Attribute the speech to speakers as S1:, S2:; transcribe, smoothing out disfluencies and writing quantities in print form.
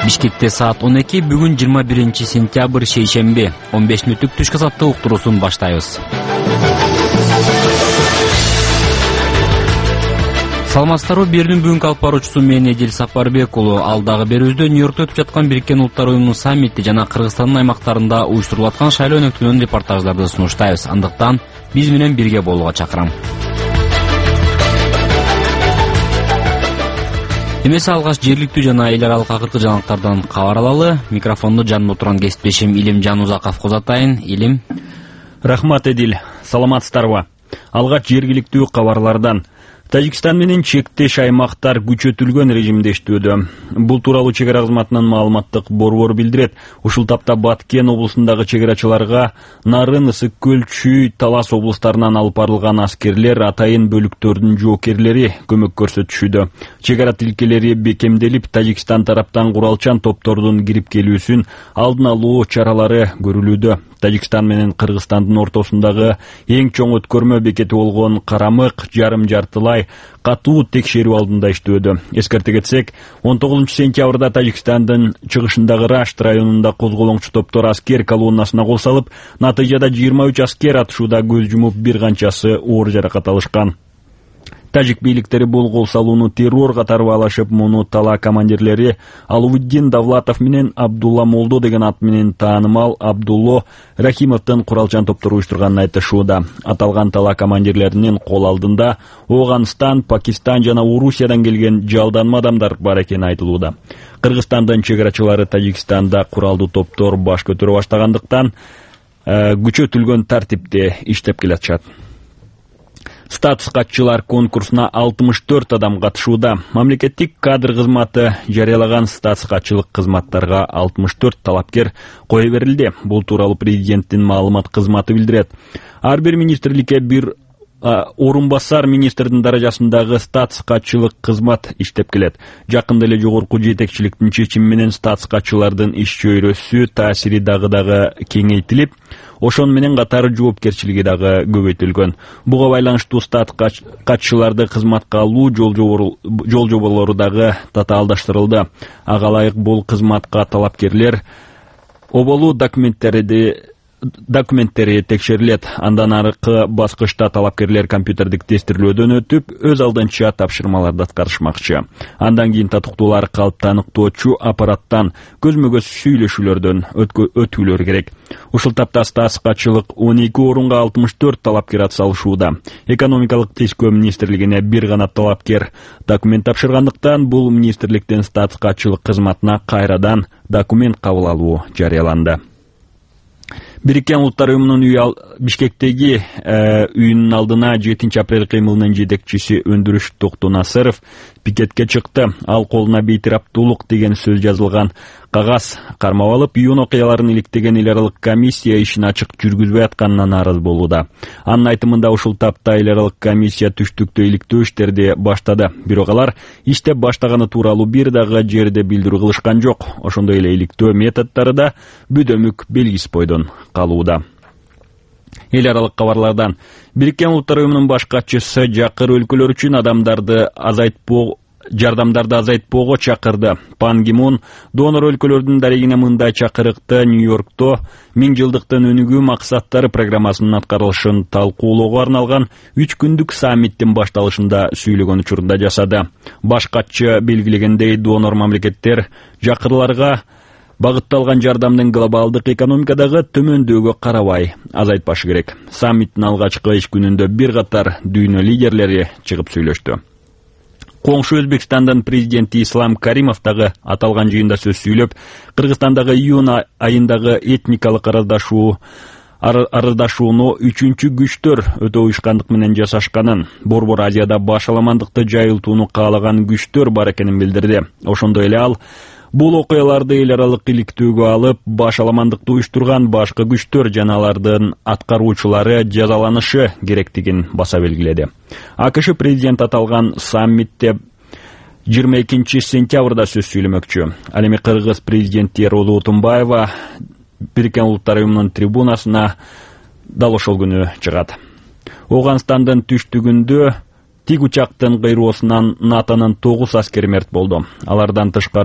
S1: Бишкекте саат 12, бүгүн 21 сентябрь шейшемби. 15 мүнөттүк түшкү сааттык уктуруусун баштайбыз. Саламатсыздарбы, бердин бүгүнкү алып баруучусу мен Эдил Сапарбек уулу. Алдагы берүүбүздө Нью-Йоркто өтүп жаткан Бириккен Улуттар уюмунун саммити жана Кыргызстандын аймактарында уюштурулуп аткан шайлоо өнөктүгүнөн репортаждарды сунуштайбыз. Андыктан биз менен бирге болууга чакырам. Эмесе алгач жергиликтүү жана эл аралык акыркы жаңылыктардан кабар алалы. Микрофонду жанымда турган кесиптешим Илимжан Узаков узатайын. Илим.
S2: Рахмат, Эдил. Саламатсыздарбы. Алгач жергиликтүү кабарлардан. Тажикстан менен чектеш аймактар күчөтүлгөн режимде иштөөдө. Бул тууралуу чек ара кызматынын маалыматтык борбору билдирет. Ушул тапта Баткен облусундагы чек-арачыларга Нарын, Ысык көл, Чүй, Талас облустарынан алып барылган аскерлер атайын бөлүктөрдүн жоокерлери көмөк көрсөтүшүүдө. Чек ара тилкелери бекемделип, Тажикстан тараптан куралчан топтордун кирип келүүсүн алдын алуу чаралары көрүлүүдө. Тажикстан менен Кыргызстандын ортосундагы эң чоң өткөрмө бекети болгон Карамык жарым жартылай катуу текшерүү алдында иштөөдө. Эскерте кетсек, 19 сентябрда Тажикстандын чыгышындагы Рашт районунда козголоңчу топтор аскер колоннасына кол салып, натыйжада 23 аскер атышууда көз жумуп, бир канчасы оор жаракат алышкан. Тажик бийликтери бул кол салууну террор катары баалашып, муну тала командирлери Алуиддин Давлатов менен Абдулла Молдо деген ат менен таанымал Абдулло Рахимовдун куралчан топтору уюштурганын айтышууда. Аталган тала командирлеринин кол алдында Ооганстан, Пакистан жана Орусиядан келген жалданма адамдар бар экени айтылууда. Кыргызстандын чек-арачылары Тажикстанда куралдуу топтор баш көтөрө баштагандыктан күчөтүлгөн тартипте иштеп келатышат. Статус катчылар конкурсуна 64 адам катышууда. Мамлекеттик кадр кызматы жарыялаган статус катчылык кызматтарга 64 талапкер кое берилди. Бул тууралуу президенттин маалымат кызматы билдирет. Ар бир министрликке бир орун басар министрдин даражасындагы статус катчылык кызмат иштеп келет. Жакында эле жогорку жетекчиликтин чечими менен статус катчылардын иш чөйрөсү, таасири дагы кеңейтилип, ошон менен катары жоопкерчилиги дагы көбөйтүлгөн. Буга байланыштуу статус катчыларды кызматка алуу жол жоболору дагы татаалдаштырылды. Ага ылайык бул кызматка талапкерлер оболуу документтери текшерилет. Андан аркы баскычта талапкерлер компьютердик тестирлөөдөн өтүп, өз алдынча тапшырмаларды аткарышмакчы. Андан кийин татыктуулар калп таныктоочу аппараттан көзмө-көз сүйлөшүүлөрдөн өтүүлөр керек. Ушул тапта статус катчылык 12 орунга 64 талапкер атсалышууда. Экономикалык тишкөө министрлигине бир гана талапкер документ тапшыргандыктан, бул министрликтин статус катчылык кызматына кайрадан документ кабыл алуу жарыяланды. Бириккен Улуттар уюмунун Бишкектеги үйүнүн алдына 7 апрель кыймылынын жетекчиси Өндүрүш Токтонасыров пикетке чыкты. Ал колуна бейтараптуулук деген сөз жазылган кагаз кармап алып, июнь окуяларын иликтеген эл аралык комиссия ишин ачык жүргүзбөй атканына нааразы болууда. Анын айтымында ушул тапта эл аралык комиссия түштүктө иликтөө иштерди баштады. Бирок алар иштеп баштаганы тууралуу бир дагы жерде билдирүү кылышкан жок. Ошондой эле иликтөө методдору да бүдөмүк белгисиз бойдон калууда. Эл аралык кабарлардан. Бириккен Улуттар уюмунун баш катчысы жакыр өлкөлөр үчүн жардамдарды азайтпоого чакырды. Пан Ги Мун донор өлкөлөрдүн дарегине мындай чакырыкты Нью-Йоркто 1000 жылдыктын өнүгүү максаттары программасынын аткарылышын талкуулоого арналган 3 күндүк саммиттин башталышында сүйлөгөн учурунда жасады. Баш катчы белгилегендей, донор мамлекеттер жакырларга багытталган жардамдын глобалдык экономикадагы төмөндөөгө карабай азайтпашы керек. Саммиттин алгачкы иш күнүндө бир катар дүйнө лидерлери чыгып сүйлөштү. Коңшу Өзбекстандын президенти Ислам Каримов дагы аталган жыйында сөз сүйлөп, Кыргызстандагы июнь айындагы этникалык арыздашууну 3-чү күчтөр өтө уюшкандык менен жасашканын, Борбор Азияда башаламандыкты жайылтууну каалаган күчтөр бар экенин билдирди. Ошондой эле ал бул окуяларды эл аралык иликтөөгө алып, башаламандыкты уюштурган башкы күчтөр жана алардын аткаруучулары жазаланышы керектигин баса белгиледи. АКШ президент аталган саммитте 22 сентябрда сөз сүйлөмөкчү. Ал эми Кыргыз президенти Роза Отунбаева Бириккен Улуттар уюмунун трибунасына дал ошол күнү чыгат. Ооганстандын түштүгүндө тик учактын кыйроосунан НАТОнун 9 аскери мерт болду. Алардан тышкары